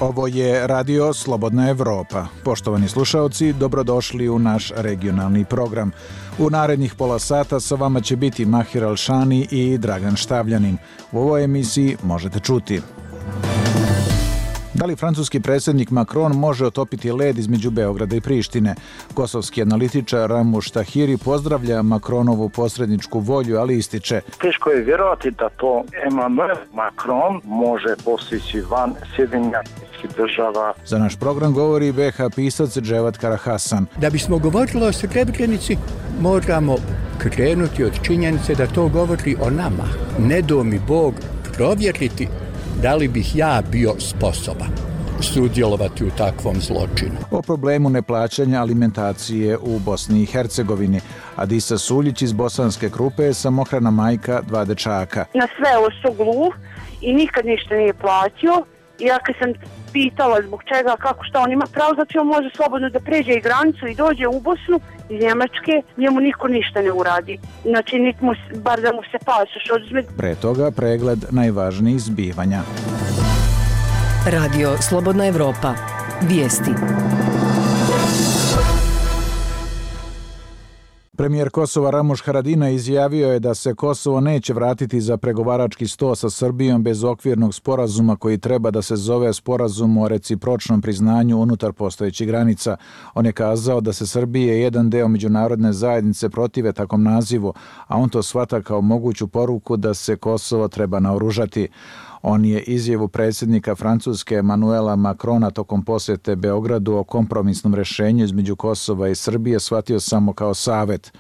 Ovo je Radio Slobodna Evropa. Poštovani slušaoci, dobrodošli u naš regionalni program. U narednih pola sata sa vama će biti Mahir Alšani i Dragan Štavljanin. U ovoj emisiji možete čuti: da li francuski predsjednik Macron može otopiti led između Beograda i Prištine? Kosovski analitičar Ramuš Tahiri pozdravlja Macronovu posredničku volju, ali ističe: teško je vjerovati da to Emmanuel Macron može postići van Sjedinjenih država. Za naš program govori BH pisac Dževat Karahasan. Da bismo govorili o Srebrenici, moramo krenuti od činjenice da to govori o nama. Ne do mi Bog provjeriti da li bih ja bio sposoban sudjelovati u takvom zločinu. O problemu neplaćanja alimentacije u Bosni i Hercegovini. Adisa Suljić iz Bosanske Krupe je samohrana majka 2 dečaka. Na sve ovo su gluh i nikad ništa nije platio. I ja kad sam pitala zbog čega, kako, šta on ima pravo, znači on može slobodno da pređe i granicu i dođe u Bosnu iz Njemačke, njemu niko ništa ne uradi. Znači, bar da mu se pasoš oduzme. Pre toga pregled najvažnijih zbivanja. Radio Slobodna Evropa. Vijesti. Premijer Kosova Ramuš Haradinaj izjavio je da se Kosovo neće vratiti za pregovarački sto sa Srbijom bez okvirnog sporazuma koji treba da se zove Sporazum o recipročnom priznanju unutar postojećih granica. On je kazao da se Srbije jedan deo međunarodne zajednice protive takvom nazivu, a on to shvata kao moguću poruku da se Kosovo treba naoružati. On je izjavu predsjednika Francuske Emmanuela Macrona tokom posjete Beogradu o kompromisnom rješenju između Kosova i Srbije shvatio samo kao savet.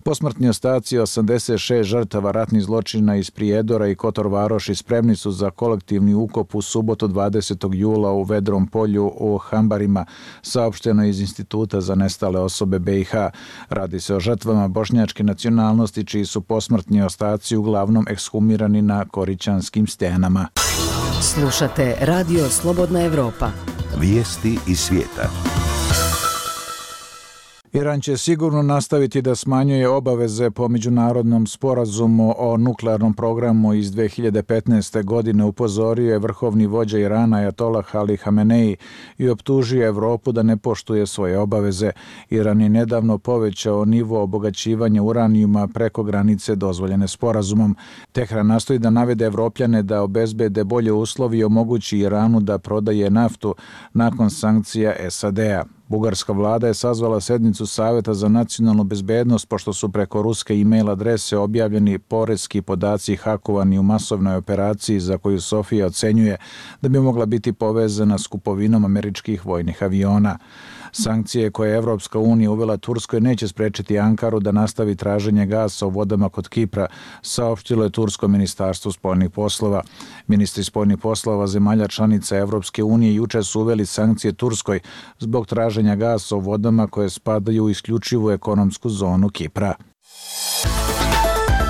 Posmrtni ostaci 86 žrtava ratnih zločina iz Prijedora i Kotor Varoši spremni su za kolektivni ukop u subotu 20. jula u Vedrom polju u Hambarima, saopšteno iz Instituta za nestale osobe BiH. Radi se o žrtvama bošnjačke nacionalnosti čiji su posmrtni ostaci uglavnom ekshumirani na Korićanskim stenama. Slušate Radio Slobodna Evropa. Vijesti iz svijeta. Iran će sigurno nastaviti da smanjuje obaveze po međunarodnom sporazumu o nuklearnom programu iz 2015. godine, upozorio je vrhovni vođa Irana Ajatolah Ali Hamenei i optužio Evropu da ne poštuje svoje obaveze. Iran je nedavno povećao nivo obogaćivanja uranijuma preko granice dozvoljene sporazumom. Tehran nastoji da navede Evropljane da obezbede bolje uslovi i omogući Iranu da prodaje naftu nakon sankcija SAD-a. Bugarska vlada je sazvala sednicu Saveta za nacionalnu bezbednost pošto su preko ruske e-mail adrese objavljeni poreski podaci hakovani u masovnoj operaciji za koju Sofija ocenjuje da bi mogla biti povezana s kupovinom američkih vojnih aviona. Sankcije koje je Evropska unija uvela Turskoj neće sprečiti Ankaru da nastavi traženje gasa u vodama kod Kipra, saopštilo je Tursko ministarstvo spoljnih poslova. Ministri spoljnih poslova zemalja članica Evropske unije juče su uveli sankcije Turskoj zbog traženja gasa u vodama koje spadaju u isključivu ekonomsku zonu Kipra.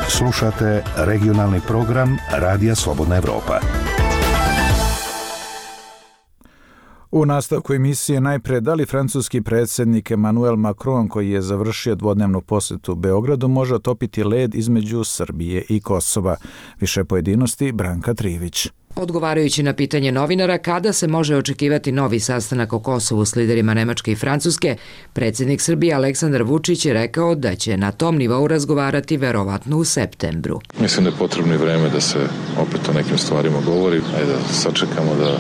Slušate regionalni program Radija Slobodna Evropa. U nastavku emisije najpre, da li francuski predsjednik Emmanuel Macron, koji je završio dvodnevnu posjetu Beogradu, može otopiti led između Srbije i Kosova? Više pojedinosti Branka Trivić. Odgovarajući na pitanje novinara kada se može očekivati novi sastanak o Kosovu s liderima Nemačke i Francuske, predsjednik Srbije Aleksandar Vučić je rekao da će na tom nivou razgovarati verovatno u septembru. Mislim da je potrebno i vreme da se opet o nekim stvarima govori. Ajde da sačekamo da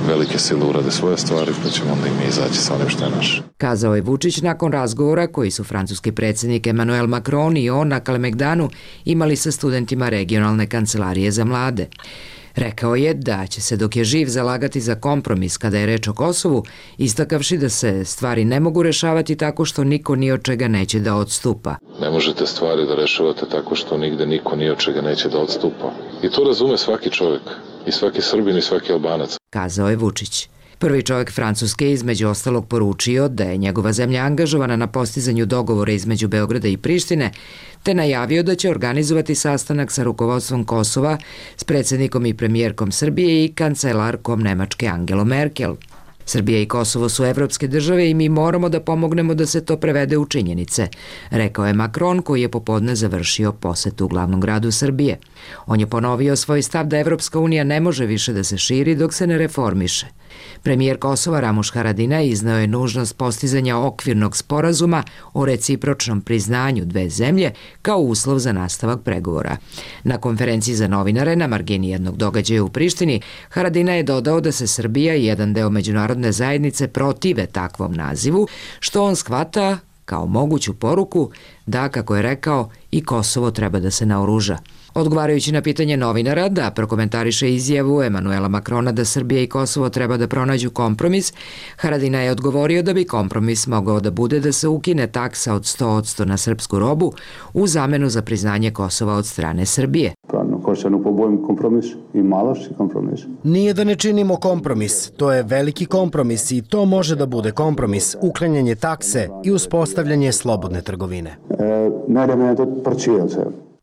velike sile urade svoje stvari, pa ćemo onda i mi izaći sa onim što je naše. Kazao je Vučić nakon razgovora koji su francuski predsjednik Emmanuel Macron i on na Kalemegdanu imali sa studentima regionalne kancelarije za mlade. Rekao je da će se dok je živ zalagati za kompromis kada je reč o Kosovu, istakavši da se stvari ne mogu rešavati tako što niko ni od čega neće da odstupa. Ne možete stvari da rešavate tako što nigde niko ni od čega neće da odstupa. I to razume svaki čovjek, i svaki Srbin i svaki Albanac. Kazao je Vučić. Prvi čovjek Francuske između ostalog poručio da je njegova zemlja angažovana na postizanju dogovora između Beograda i Prištine, te najavio da će organizovati sastanak sa rukovodstvom Kosova s predsjednikom i premijerkom Srbije i kancelarkom Nemačke Angelom Merkel. Srbija i Kosovo su evropske države i mi moramo da pomognemo da se to prevede u činjenice, rekao je Macron, koji je popodne završio posetu u glavnom gradu Srbije. On je ponovio svoj stav da Evropska unija ne može više da se širi dok se ne reformiše. Premijer Kosova Ramuš Haradinaj izneo je nužnost postizanja okvirnog sporazuma o recipročnom priznanju dve zemlje kao uslov za nastavak pregovora. Na konferenciji za novinare na margini jednog događaja u Prištini, Haradinaj je dodao da se Srbija i jedan deo međunarodne zajednice protive takvom nazivu, što on shvata kao moguću poruku da, kako je rekao, i Kosovo treba da se naoruža. Odgovarajući na pitanje novinara da prokomentariše izjavu Emanuela Makrona da Srbija i Kosovo treba da pronađu kompromis, Haradinaj je odgovorio da bi kompromis mogao da bude da se ukine taksa od 100% na srpsku robu u zamenu za priznanje Kosova od strane Srbije. Nije da ne činimo kompromis, to je veliki kompromis i to može da bude kompromis, uklanjanje takse i uspostavljanje slobodne trgovine.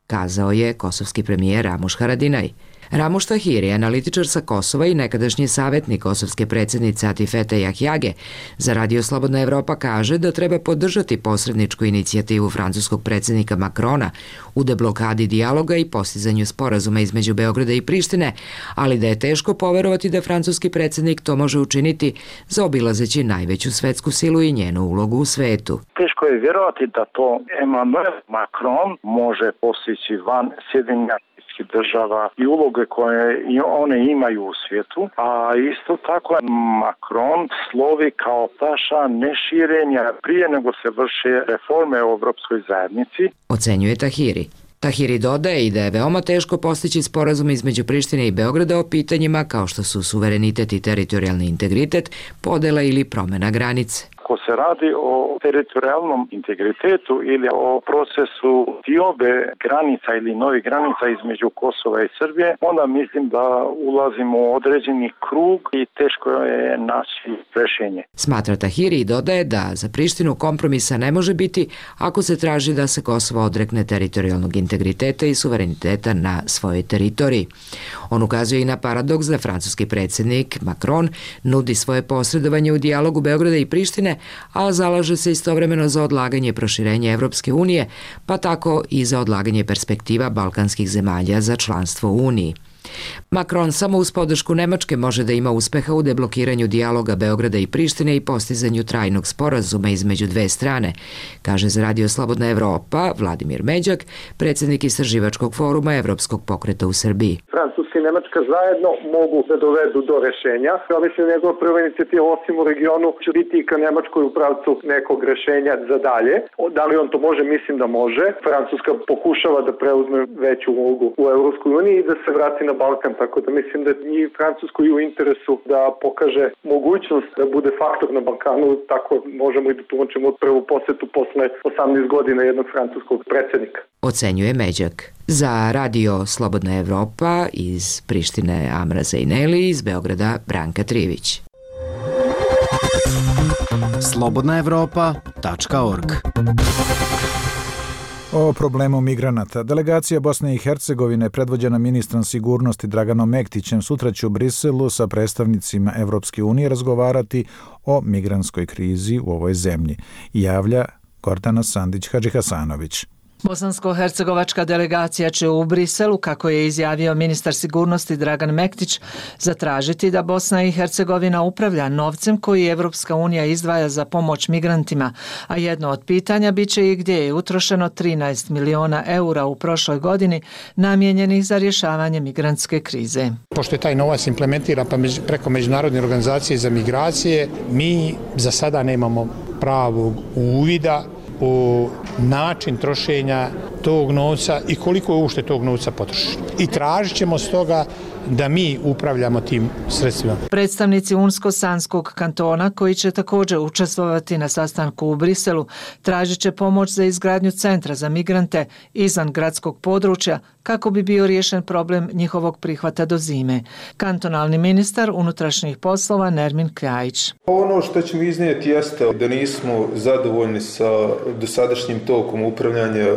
Kazao je kosovski premijer Ramuš Haradinaj. Ramuš Tahiri, analitičar sa Kosova i nekadašnji savjetnik kosovske predsjednice Atifete Jahjage, za Radio Slobodna Evropa kaže da treba podržati posredničku inicijativu francuskog predsjednika Makrona u deblokadi dijaloga i postizanju sporazuma između Beograda i Prištine, ali da je teško poverovati da francuski predsjednik to može učiniti zaobilazeći najveću svetsku silu i njenu ulogu u svetu. Teško je vjerovati da to Emmanuel Macron može postići van Sjedinjenih država i uloge koje one imaju u svijetu, a isto tako Macron slovi kao taša neširenja prije nego se vrše reforme u Evropskoj zajednici. Ocenjuje Tahiri. Tahiri dodaje i da je veoma teško postići sporazum između Prištine i Beograda o pitanjima kao što su suverenitet i teritorijalni integritet, podela ili promjena granice. Ako se radi o teritorijalnom integritetu ili o procesu diobe granica ili novih granica između Kosova i Srbije, onda mislim da ulazimo u određeni krug i teško je naći rješenje. Smatra Tahiri i dodaje da za Prištinu kompromisa ne može biti ako se traži da se Kosovo odrekne teritorijalnog integriteta i suvereniteta na svojoj teritoriji. On ukazuje i na paradoks da francuski predsjednik Macron nudi svoje posredovanje u dijalogu Beograda i Prištine, a zalaže se istovremeno za odlaganje proširenja Evropske unije, pa tako i za odlaganje perspektiva balkanskih zemalja za članstvo u Uniji. Macron samo uz podršku Nemačke može da ima uspeha u deblokiranju dijaloga Beograda i Prištine i postizanju trajnog sporazuma između dve strane, kaže za Radio Slobodna Evropa Vladimir Međak, predsjednik istraživačkog foruma Evropskog pokreta u Srbiji. Francuska i Nemačka zajedno mogu da dovedu do rešenja. Ja mislim da njegova prva inicijativa osim u regionu će biti i ka Nemačkoj u pravcu nekog rešenja za dalje. Da li on to može? Mislim da može. Francuska pokušava da preuzme veću ulogu u Evropskoj uniji i da se vrati na Balkan, tako da mislim da i Francuskoj u interesu da pokaže mogućnost da bude faktor na Balkanu, tako možemo i da tumačimo prvu posjetu posle 18 godina jednog francuskog predsjednika. Ocenjuje Međak. Za Radio Slobodna Evropa iz Prištine Amra Zejneli, iz Beograda Branka Trivić. slobodnaevropa.org. O problemu migranata. Delegacija Bosne i Hercegovine, predvođena ministrom sigurnosti Draganom Mektićem, sutra će u Briselu sa predstavnicima Evropske unije razgovarati o migrantskoj krizi u ovoj zemlji, javlja Gordana Sandić-Hadžihasanović. Bosansko-hercegovačka delegacija će u Briselu, kako je izjavio ministar sigurnosti Dragan Mektić, zatražiti da Bosna i Hercegovina upravlja novcem koji Evropska unija izdvaja za pomoć migrantima, a jedno od pitanja biće i gdje je utrošeno 13 miliona eura u prošloj godini namijenjenih za rješavanje migrantske krize. Pošto je taj novac implementiran preko Međunarodne organizacije za migracije, mi za sada nemamo pravog uvida u način trošenja tog novca i koliko je ušte tog novca potrošeno. I tražit ćemo stoga da mi upravljamo tim sredstvima. Predstavnici Unsko-Sanskog kantona, koji će također učestvovati na sastanku u Briselu, tražit će pomoć za izgradnju centra za migrante izvan gradskog područja kako bi bio riješen problem njihovog prihvata do zime. Kantonalni ministar unutrašnjih poslova Nermin Kljajić. Ono što ćemo iznijeti jeste da nismo zadovoljni sa dosadašnjim tokom upravljanja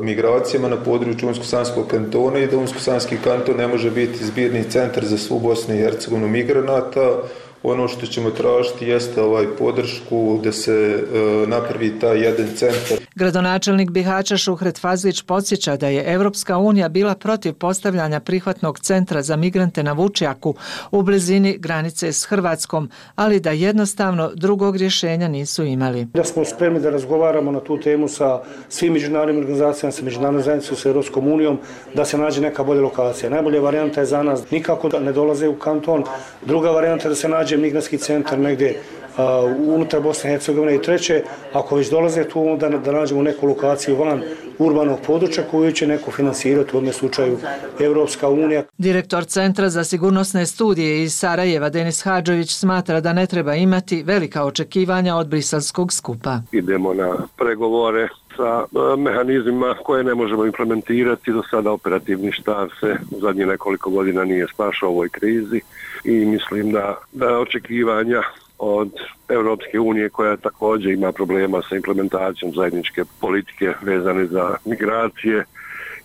migracijama na području Unsko-Sanskog kantona i da Unsko-Sanski kanton ne može biti zbirni centar za svu Bosnu i Hercegovinu migranata. Ono što ćemo tražiti jeste podršku da se napravi taj jedan centar. Gradonačelnik Bihaća Šuhret Fazlić podsjeća da je Evropska unija bila protiv postavljanja prihvatnog centra za migrante na Vučjaku u blizini granice s Hrvatskom, ali da jednostavno drugog rješenja nisu imali. Da smo spremni da razgovaramo na tu temu sa svim međunarodnim organizacijama, sa međunarodnom zajednicom, sa Europskom unijom, da se nađe neka bolja lokacija. Najbolja varijanta je za nas nikako da ne dolaze u kanton. Druga varijanta je da se nađe migrantski centar negdje unutar Bosne i Hercegovine i treće, ako već dolaze tu, onda da nađemo neku lokaciju van urbanog područja koju će neko finansirati, u ovom slučaju Evropska unija. Direktor Centra za sigurnosne studije iz Sarajeva Denis Hadžović smatra da ne treba imati velika očekivanja od briselskog skupa. Idemo na pregovore sa mehanizmima koje ne možemo implementirati. Do sada operativni štab se u zadnjih nekoliko godina nije snašao u ovoj krizi i mislim da očekivanja od Europske unije, koja također ima problema sa implementacijom zajedničke politike vezane za migracije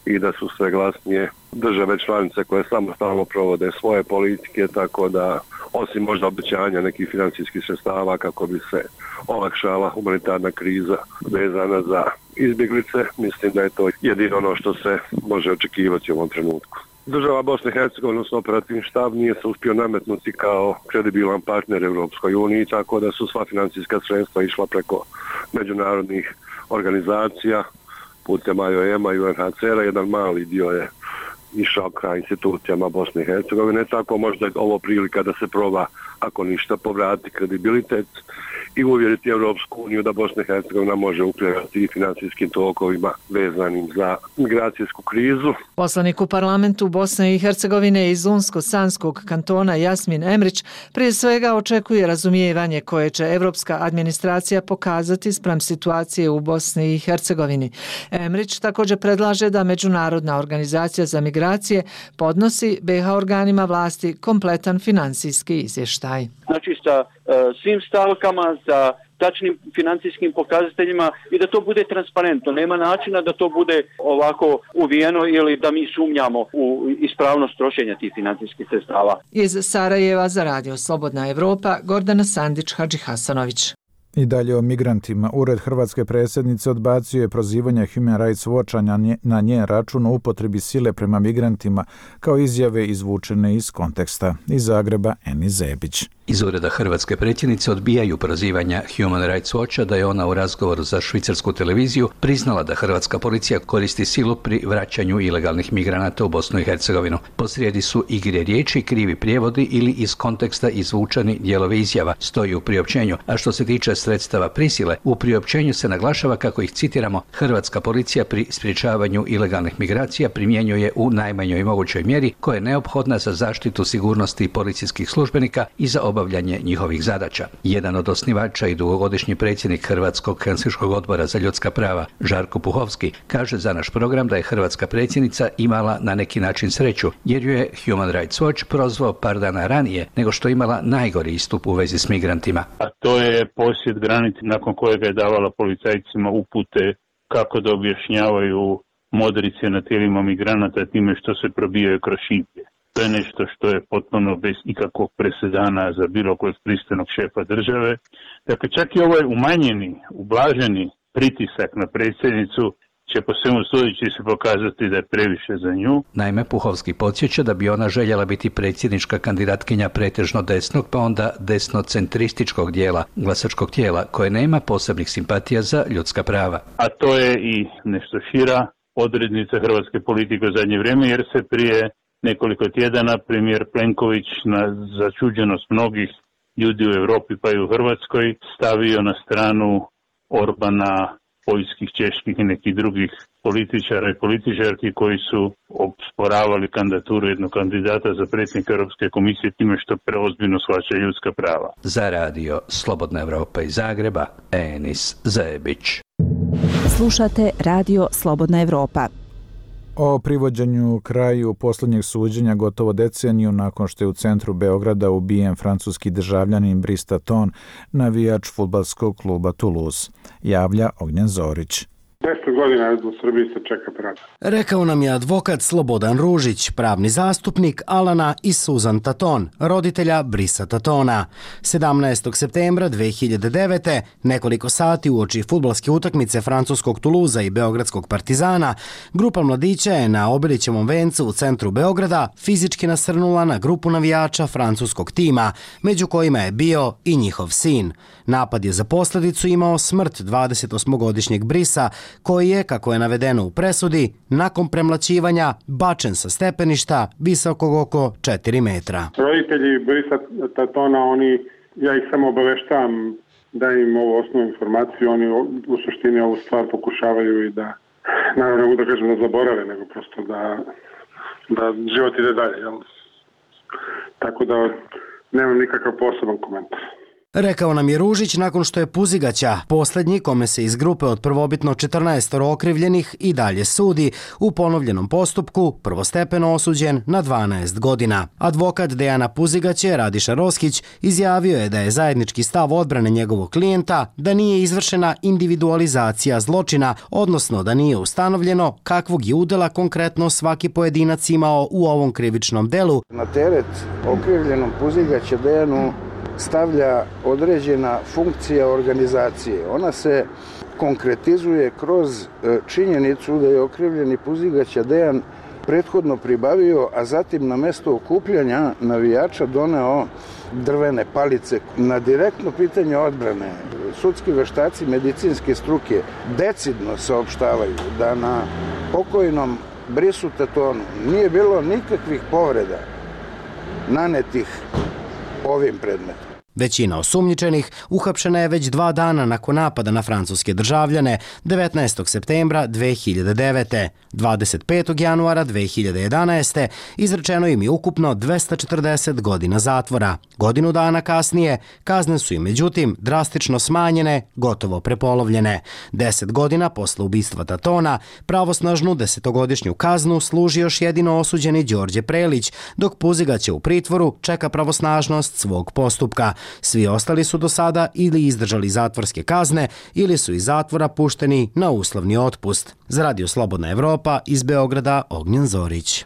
i da su sve glasnije države članice koje samostalno provode svoje politike, tako da osim možda obećanja nekih financijskih sredstava kako bi se olakšala humanitarna kriza vezana za izbjeglice, mislim da je to jedino ono što se može očekivati u ovom trenutku. Država Bosne i Hercegovine, odnosno operativni štab, nije se uspio nametnuti kao kredibilan partner Europskoj uniji, tako da su sva financijska sredstva išla preko međunarodnih organizacija, putem IOM-a i UNHCR-a, jedan mali dio je išao ka institucijama Bosne i Hercegovine, tako možda je ovo prilika da se proba, ako ništa, povrati kredibilitet i uvjeriti Europsku uniju da Bosna i Hercegovina može upravljati i financijskim tokovima vezanim za migracijsku krizu. Poslanik u parlamentu Bosne i Hercegovine iz Unsko-Sanskog kantona Jasmin Emrić prije svega očekuje razumijevanje koje će evropska administracija pokazati spram situacije u Bosni i Hercegovini. Emrić također predlaže da Međunarodna organizacija za migracije podnosi BiH organima vlasti kompletan financijski izvještaj. Znači sa svim stavkama, sa tačnim financijskim pokazateljima i da to bude transparentno. Nema načina da to bude ovako uvijeno ili da mi sumnjamo u ispravnost trošenja tih financijskih sredstava. Iz Sarajeva za Radio Slobodna Evropa, Gordana Sandić, Hadži Hasanović. I dalje o migrantima. Ured hrvatske predsjednice odbacio je prozivanje Human Rights Watcha na njen račun o upotrebi sile prema migrantima kao izjave izvučene iz konteksta. Iz Zagreba, Eni Zebić. Iz ureda hrvatske predsjednice odbijaju prozivanja Human Rights Watcha da je ona u razgovoru za švicarsku televiziju priznala da hrvatska policija koristi silu pri vraćanju ilegalnih migranata u Bosnu i Hercegovinu. Posrijedi su igre riječi, krivi prijevodi ili iz konteksta izvučeni dijelovi izjava, stoji u priopćenju. A što se tiče sredstava prisile, u priopćenju se naglašava kako ih, citiramo, hrvatska policija pri sprječavanju ilegalnih migracija primjenjuje u najmanjoj mogućoj mjeri koja je neophodna za zaštitu sigurnosti policijskih službenika i za obavljanje njihovih zadaća. Jedan od osnivača i dugogodišnji predsjednik Hrvatskog Helsinškog odbora za ljudska prava, Žarko Puhovski, kaže za naš program da je hrvatska predsjednica imala na neki način sreću, jer ju je Human Rights Watch prozvao par dana ranije nego što je imala najgori istup u vezi s migrantima. A to je posjet granice nakon kojega je davala policajcima upute kako da objašnjavaju modrice na tijelima migranata time što se probijaju kroz šiplje. To je nešto što je potpuno bez ikakvog presedana za bilo kojeg pristojnog šefa države. Dakle, čak i ovaj umanjeni, ublaženi pritisak na predsjednicu će po svemu sudeći se pokazati da je previše za nju. Naime, Puhovski podsjeća da bi ona željela biti predsjednička kandidatkinja pretežno desnog, pa onda desnocentrističkog dijela glasačkog tijela, koje nema posebnih simpatija za ljudska prava. A to je i nešto šira odrednica hrvatske politike u zadnje vrijeme, jer se prije nekoliko tjedana premijer Plenković na začuđenost mnogih ljudi u Europi pa i u Hrvatskoj stavio na stranu Orbana, poljskih, čeških i nekih drugih političara i političarki koji su osporavali kandidaturu jednog kandidata za predsjednika Europske komisije time što preozbiljno shvaća ljudska prava. Za Radio Slobodna Evropa iz Zagreba, Enis Zebić. Slušate Radio Slobodna Evropa. O privođenju kraju posljednjeg suđenja gotovo deceniju nakon što je u centru Beograda ubijen francuski državljanin Brice Taton, navijač fudbalskog kluba Toulouse, javlja Ognjen Zorić. 10 godina u Srbiji se čeka pravda. Rekao nam je advokat Slobodan Ružić, pravni zastupnik Alana i Susan Taton, roditelja Brisa Tatona. 17. septembra 2009. nekoliko sati uoči fudbalske utakmice francuskog Tuluza i beogradskog Partizana, grupa mladića je na Obilićevom vencu u centru Beograda fizički nasrnula na grupu navijača francuskog tima, među kojima je bio i njihov sin. Napad je za posljedicu imao smrt 28-godišnjeg Brisa, koji je, kako je navedeno u presudi, nakon premlaćivanja bačen sa stepeništa visokog oko 4 metra. Roditelji Brisa Tatona, ja ih samo obaveštavam da im ovu osnovnu informaciju, oni u suštini ovu stvar pokušavaju i da, naravno ne mogu da kažem da zaborave, nego prosto da život ide dalje. Jel? Tako da nemam nikakav poseban komentar. Rekao nam je Ružić nakon što je Puzigaća, posljednji kome se iz grupe od prvobitno 14 okrivljenih i dalje sudi, u ponovljenom postupku prvostepeno osuđen na 12 godina. Advokat Dejana Puzigaće, Radiša Roskić, izjavio je da je zajednički stav odbrane njegovog klijenta da nije izvršena individualizacija zločina, odnosno da nije ustanovljeno kakvog je udjela konkretno svaki pojedinac imao u ovom krivičnom delu. Na teret okrivljenom Puzigaće Dejanu stavlja određena funkcija organizacije. Ona se konkretizuje kroz činjenicu da je okrivljeni Puzigaća Dejan prethodno pribavio, a zatim na mesto okupljanja navijača doneo drvene palice. Na direktno pitanje odbrane sudski veštaci medicinske struke decidno saopštavaju da na pokojnom Brisu Tatonu nije bilo nikakvih povreda nanetih ovim predmetom. Većina osumnjičenih uhapšena je već 2 dana nakon napada na francuske državljane 19. septembra 2009. 25. januara 2011. izrečeno im je ukupno 240 godina zatvora. Godinu dana kasnije kazne su im međutim drastično smanjene, gotovo prepolovljene. 10 godina posle ubistva Tatona pravosnažnu 10-godišnju kaznu služi još jedino osuđeni Đorđe Prelić, dok Puzigaće u pritvoru čeka pravosnažnost svog postupka. Svi ostali su do sada ili izdržali zatvorske kazne ili su iz zatvora pušteni na uslovni otpust. Za Radio Slobodna Evropa iz Beograda Ognjen Zorić.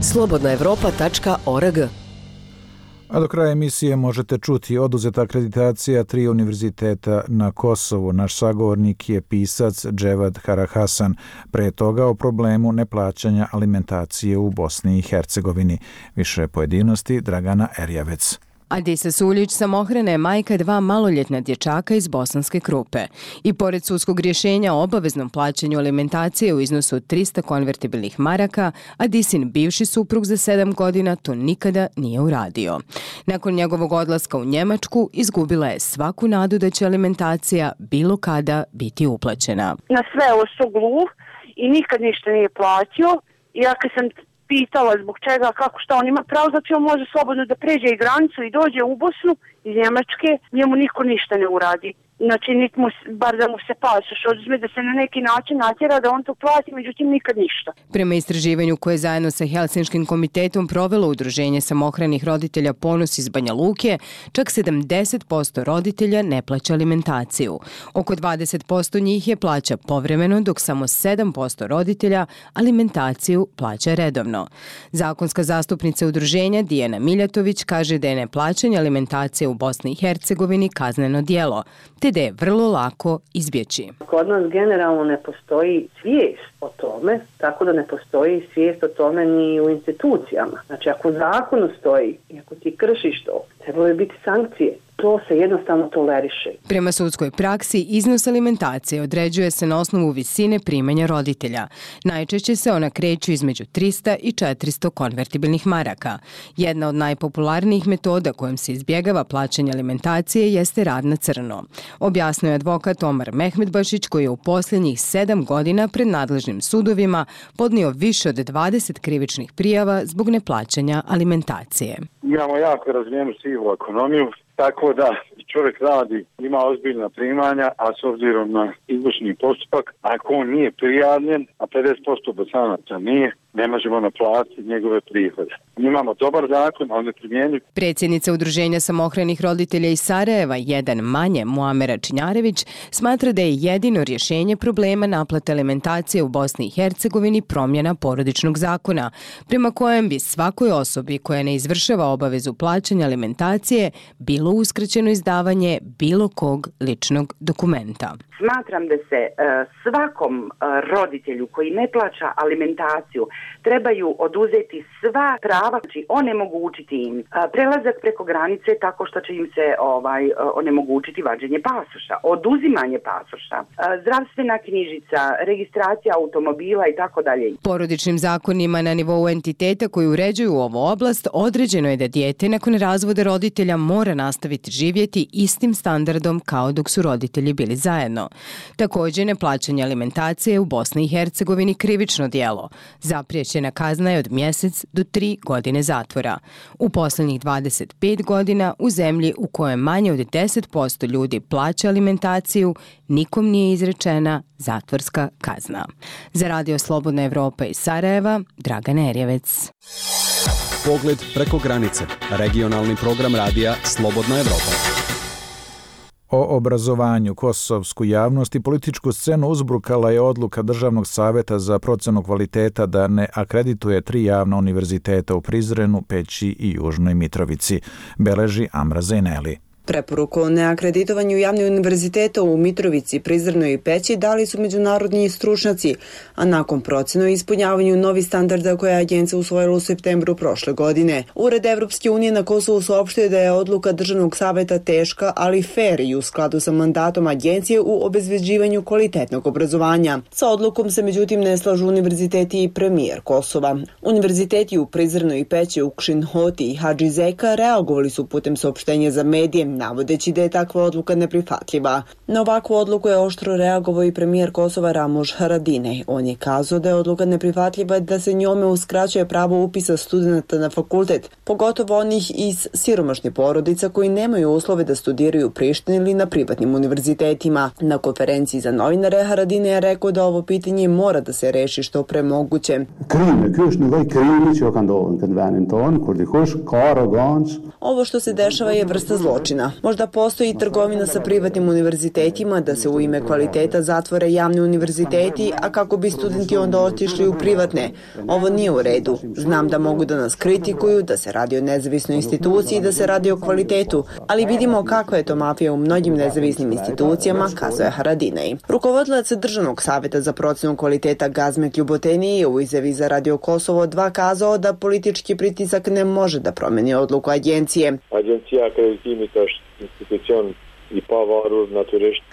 slobodnaevropa.org. A do kraja emisije možete čuti oduzeta akreditacija 3 univerziteta na Kosovu. Naš sagovornik je pisac Dževad Karahasan. Pre toga o problemu neplaćanja alimentacije u Bosni i Hercegovini. Više pojedinosti Dragana Erjavec. Adisa Suljić samohrana je majka 2 maloljetna dječaka iz Bosanske Krupe. I pored sudskog rješenja o obaveznom plaćanju alimentacije u iznosu 300 konvertibilnih maraka, Adisin bivši suprug za 7 godina to nikada nije uradio. Nakon njegovog odlaska u Njemačku izgubila je svaku nadu da će alimentacija bilo kada biti uplaćena. Na sve ovo gluh i nikad ništa nije platio. I ja kad sam pitala zbog čega, kako, šta on ima pravo, znači on može slobodno da pređe i granicu i dođe u Bosnu iz Njemačke, njemu niko ništa ne uradi. Znači, bar da mu se pasoš oduzme, da se na neki način natjera da on to plati, međutim nikad ništa. Prema istraživanju koje je zajedno sa Helsinškim komitetom provelo Udruženje samohranih roditelja Ponos iz Banja Luke, čak 70% roditelja ne plaća alimentaciju. Oko 20% njih je plaća povremeno, dok samo 7% roditelja alimentaciju plaća redovno. Zakonska zastupnica udruženja Dijana Miljatović kaže da je neplaćanje alimentacije u Bosni i Hercegovini kazneno djelo, te da je vrlo lako izbjeći. Kod nas generalno ne postoji svijest o tome, tako da ne postoji svijest o tome ni u institucijama. Znači, ako u zakonu stoji i ako ti kršiš to, trebalo je biti sankcije. To se jednostavno toleriše. Prema sudskoj praksi, iznos alimentacije određuje se na osnovu visine primanja roditelja. Najčešće se ona kreću između 300 i 400 konvertibilnih maraka. Jedna od najpopularnijih metoda kojom se izbjegava plaćanje alimentacije jeste rad na crno. Objasnio je advokat Omar Mehmedbašić, koji je u posljednjih 7 godina pred nadležnim sudovima podnio više od 20 krivičnih prijava zbog neplaćanja alimentacije. Imamo jako razvijenu sivu ekonomiju, tako da čovjek radi, ima ozbiljna primanja, a s obzirom na izvršni postupak, ako on nije prijavljen, a 50% bosanaca nije, ne možemo naplatiti njegove prihode. Imamo dobar zakon, on je primjenjiv. Predsjednica Udruženja samohranih roditelja iz Sarajeva, jedan manje, Muamera Činjarević, smatra da je jedino rješenje problema naplate alimentacije u Bosni i Hercegovini promjena porodičnog zakona, prema kojem bi svakoj osobi koja ne izvršava obavezu plaćanja alimentacije bilo uskraćeno izdavanje bilo kog ličnog dokumenta. Smatram da se svakom roditelju koji ne plaća alimentaciju trebaju oduzeti sva prava, znači onemogućiti im prelazak preko granice tako što će im se onemogućiti vađenje pasoša, oduzimanje pasoša, zdravstvena knjižica, registracija automobila i tako dalje. Porodičnim zakonima na nivou entiteta koji uređuju ovu oblast određeno je da dijete nakon razvoda roditelja mora nastaviti živjeti istim standardom kao dok su roditelji bili zajedno. Također, neplaćanje alimentacije u Bosni i Hercegovini krivično djelo. Zapriječena kazna je od mjesec do 3 godine zatvora. U posljednjih 25 godina u zemlji u kojoj manje od 10% ljudi plaća alimentaciju, nikom nije izrečena zatvorska kazna. Za Radio Slobodna Evropa iz Sarajeva, Dragana Erjevec. Pogled preko granice. Regionalni program radija Slobodna Evropa. O obrazovanju kosovsku javnost i političku scenu uzbrukala je odluka Državnog savjeta za procjenu kvaliteta da ne akredituje 3 javna univerziteta u Prizrenu, Peći i Južnoj Mitrovici, beleži Amra Zeneli. Preporuku o neakreditovanju javnih univerziteta u Mitrovici, Prizrenoj i Peći dali su međunarodni stručnjaci, a nakon procjene o ispunjavanju novih standarda koje je agencija usvojila u septembru prošle godine. Ured Evropske unije na Kosovu saopštio da je odluka Državnog savjeta teška, ali fer i u skladu sa mandatom agencije u obezbeđivanju kvalitetnog obrazovanja. Sa odlukom se međutim ne slažu univerziteti i premijer Kosova. Univerziteti u Prizrenoj i Peći, Ukšin Hoti i Hadži Zeka reagovali su putem saopštenja za medije, navodeći da je takva odluka neprihvatljiva. Na ovakvu odluku je oštro reagovao i premijer Kosova Ramuš Haradinaj. On je kazao da je odluka neprihvatljiva, da se njome uskraćuje pravo upisa studenata na fakultet, pogotovo onih iz siromašnih porodica koji nemaju uslove da studiraju u Prištini ili na privatnim univerzitetima. Na konferenciji za novinare Haradinaj je rekao da ovo pitanje mora da se reši što pre moguće. Ovo što se dešava je vrsta zločina. Možda postoji i trgovina sa privatnim univerzitetima, da se u ime kvaliteta zatvore javni univerziteti, a kako bi studenti onda otišli u privatne. Ovo nije u redu. Znam da mogu da nas kritikuju, da se radi o nezavisnoj instituciji, da se radi o kvalitetu, ali vidimo kakva je to mafija u mnogim nezavisnim institucijama, kazuje Haradinaj. Rukovodilac Državnog savjeta za procjenu kvaliteta Gazmet Ljuboteni je u izjavi za Radio Kosovo 2 kazao da politički pritisak ne može da promeni odluku agencije.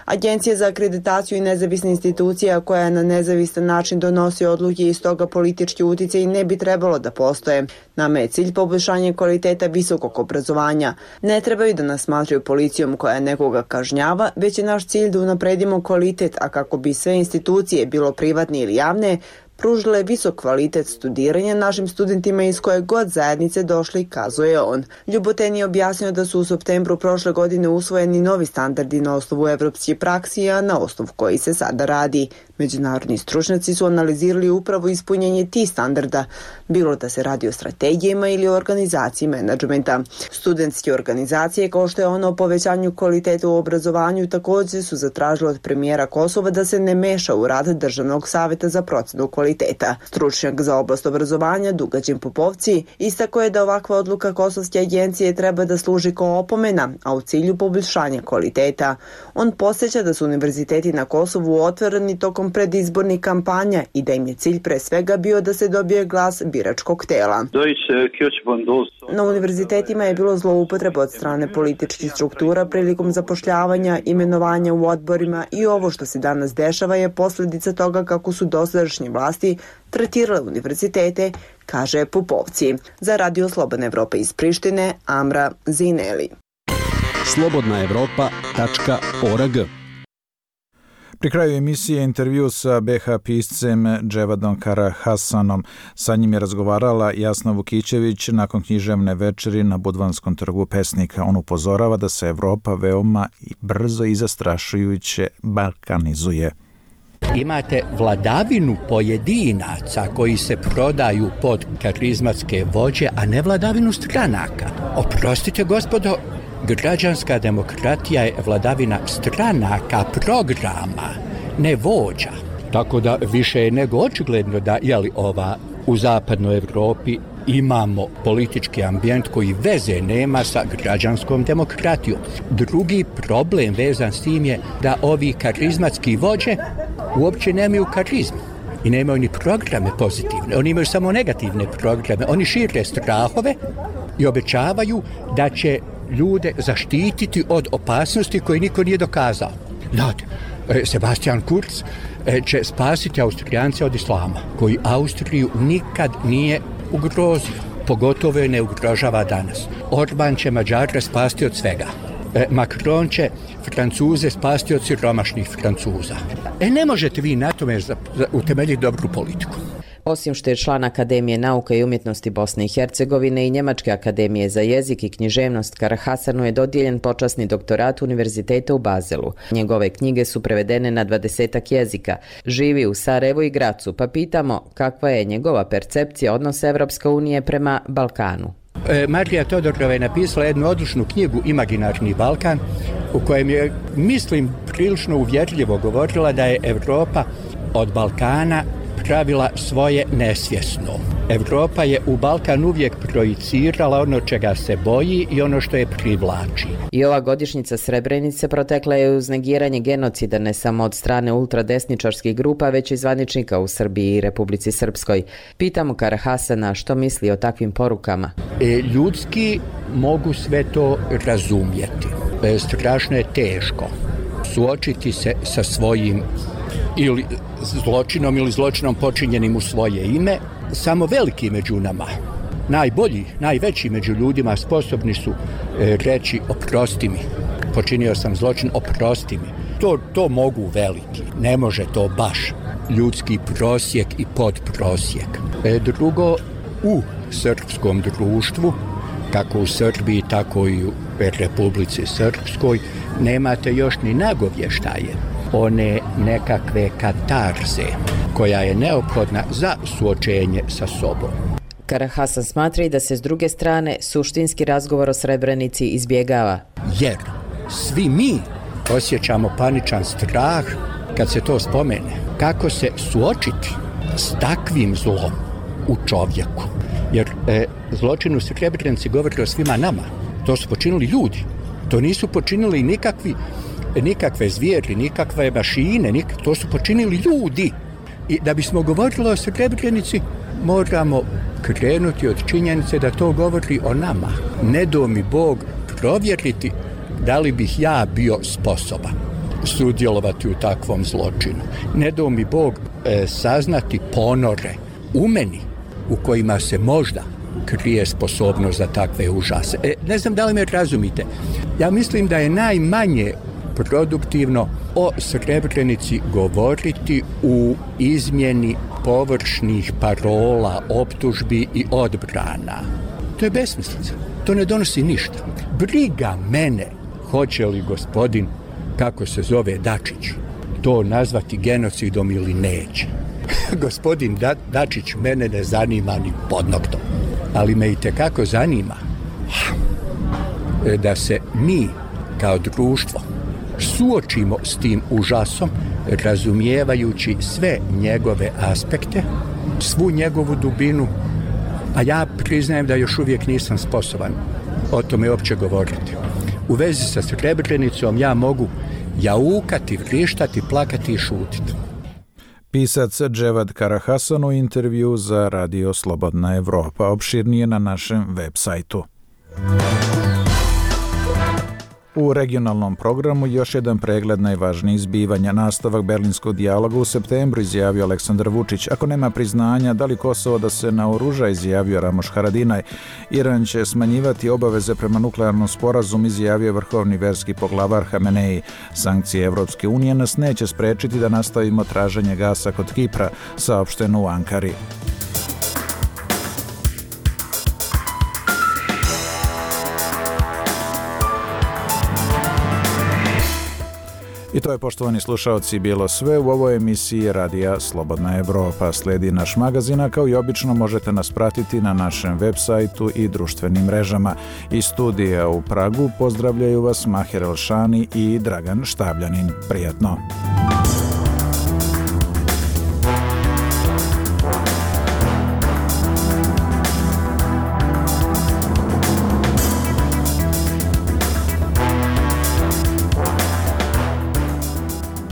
Agencija za akreditaciju i nezavisna institucija koja na nezavistan način donosi odluke i stoga politički uticaj ne bi trebalo da postoje. Nama je cilj poboljšanje kvaliteta visokog obrazovanja. Ne trebaju da nas smatraju policijom koja nekoga kažnjava, već je naš cilj da unapredimo kvalitet, a kako bi sve institucije, bilo privatne ili javne, pružile visok kvalitet studiranja našim studentima iz koje god zajednice došli, kazuje on. Ljuboten je objasnio da su u septembru prošle godine usvojeni novi standardi na osnovu evropske praksi, a na osnovu koji se sada radi. Međunarodni stručnjaci su analizirali upravo ispunjenje tih standarda, bilo da se radi o strategijama ili o organizaciji menadžmenta. Studentske organizacije, kao što je ono o povećanju kvaliteta u obrazovanju, također su zatražile od premijera Kosova da se ne meša u rad Državnog savjeta za procjenu kvaliteta. Stručnjak za oblast obrazovanja Dugađen Popovci istakao je da ovakva odluka Kosovske agencije treba da služi kao opomena, a u cilju poboljšanja kvaliteta. On podsjeća da su univerziteti na Kosovu otvoreni tokom predizbornih kampanja i da im je cilj pre svega bio da se dobije glas biračkog tela. Na univerzitetima je bilo zloupotreba od strane političkih struktura prilikom zapošljavanja, imenovanja u odborima i ovo što se danas dešava je posljedica toga kako su dosadašnje vlasti tretirale univerzitete, kaže Popovci. Za Radio Slobodna Evropa iz Prištine, Amra Zineli. slobodnaevropa.org. Pri kraju emisije intervju sa BH piscem Dževadom Karahasanom. Sa njim je razgovarala Jasna Vukićević nakon književne večeri na Budvanskom trgu pesnika. On upozorava da se Evropa veoma brzo i zastrašujuće balkanizuje. Imate vladavinu pojedinaca koji se prodaju pod karizmatske vođe, a ne vladavinu stranaka. Oprostite, gospodo, građanska demokratija je vladavina stranaka, programa, ne vođa. Tako da više je nego očigledno da u zapadnoj Evropi imamo politički ambijent koji veze nema sa građanskom demokratijom. Drugi problem vezan s tim je da ovi karizmatski vođe uopće nemaju karizmu i nemaju ni programe pozitivne. Oni imaju samo negativne programe. Oni šire strahove i obećavaju da će ljude zaštititi od opasnosti koje niko nije dokazao. Znate, Sebastian Kurz će spasiti Austrijance od islama, koji Austriju nikad nije ugrozio, pogotovo je ne ugrožava danas. Orban će Mađare spasti od svega. Macron će Francuze spasti od siromašnih Francuza. Ne možete vi na tome utemeljiti dobru politiku. Osim što je član Akademije nauka i umjetnosti Bosne i Hercegovine i Njemačke akademije za jezik i književnost, Karahasanu je dodijeljen počasni doktorat Univerziteta u Bazelu. Njegove knjige su prevedene na 20 jezika. Živi u Sarajevu i Gracu, pa pitamo kakva je njegova percepcija odnosa Evropske unije prema Balkanu. Marija Todorova je napisala jednu odličnu knjigu Imaginarni Balkan, u kojem je, mislim, prilično uvjerljivo govorila da je Evropa od Balkana pravila svoje nesvjesno. Evropa je u Balkan uvijek projicirala ono čega se boji i ono što je privlači. I ova godišnjica Srebrenice protekla je uz negiranje genocida ne samo od strane ultradesničarskih grupa, već i zvaničnika u Srbiji i Republici Srpskoj. Pitamo Karahasana što misli o takvim porukama. Ljudski mogu sve to razumjeti. Strašno je teško suočiti se sa svojim ili zločinom ili zločinom počinjenim u svoje ime. Samo veliki među nama, najbolji, najveći među ljudima sposobni su reći oprosti mi, počinio sam zločin, oprosti mi. To mogu veliki, ne može to baš ljudski prosjek i podprosjek. Drugo, u srpskom društvu, kako u Srbiji, tako i u Republici Srpskoj, nemate još ni nagovještaje one nekakve katarze koja je neophodna za suočenje sa sobom. Karahasan smatra i da se s druge strane suštinski razgovor o Srebrenici izbjegava. Jer svi mi osjećamo paničan strah kad se to spomene. Kako se suočiti s takvim zlom u čovjeku? Jer zločin u Srebrenici govori o svima nama. To su počinili ljudi. To nisu počinili nikakve zvijeri, nikakve mašine, to su počinili ljudi. I da bismo govorili o Srebrenici, moramo krenuti od činjenice da to govori o nama. Ne do mi Bog provjeriti da li bih ja bio sposoban sudjelovati u takvom zločinu. Ne do mi Bog saznati ponore u meni u kojima se možda krije sposobnost za takve užase. Ne znam da li me razumite. Ja mislim da je najmanje produktivno o Srebrenici govoriti u izmjeni površnih parola, optužbi i odbrana. To je besmislica. To ne donosi ništa. Briga mene hoće li gospodin, kako se zove, Dačić, to nazvati genocidom ili neće. Gospodin Dačić mene ne zanima ni pod noktom. Ali me itekako zanima da se mi kao društvo suočimo s tim užasom, razumijevajući sve njegove aspekte, svu njegovu dubinu, a ja priznajem da još uvijek nisam sposoban o tome uopće govoriti. U vezi sa Srebrenicom ja mogu jaukati, vrištati, plakati i šutiti. Pisac Dževad Karahasan u intervju za Radio Slobodna Evropa. Opširnije na našem web sajtu. U regionalnom programu još jedan pregled najvažnijih zbivanja. Nastavak berlinskog dijaloga u septembru, izjavio Aleksandar Vučić. Ako nema priznanja, da li Kosovo da se naoruža, izjavio Ramoš Haradinaj. Iran će smanjivati obaveze prema nuklearnom sporazumu, izjavio vrhovni verski poglavar Hamenei. Sankcije Evropske unije nas neće sprečiti da nastavimo traženje gasa kod Kipra, saopšteno u Ankari. I to je, poštovani slušaoci, bilo sve u ovoj emisiji Radija Slobodna Evropa. Slijedi naš magazin, a kao i obično možete nas pratiti na našem web sajtu i društvenim mrežama. Iz studija u Pragu pozdravljaju vas Maher Elšani i Dragan Štavljanin. Prijatno!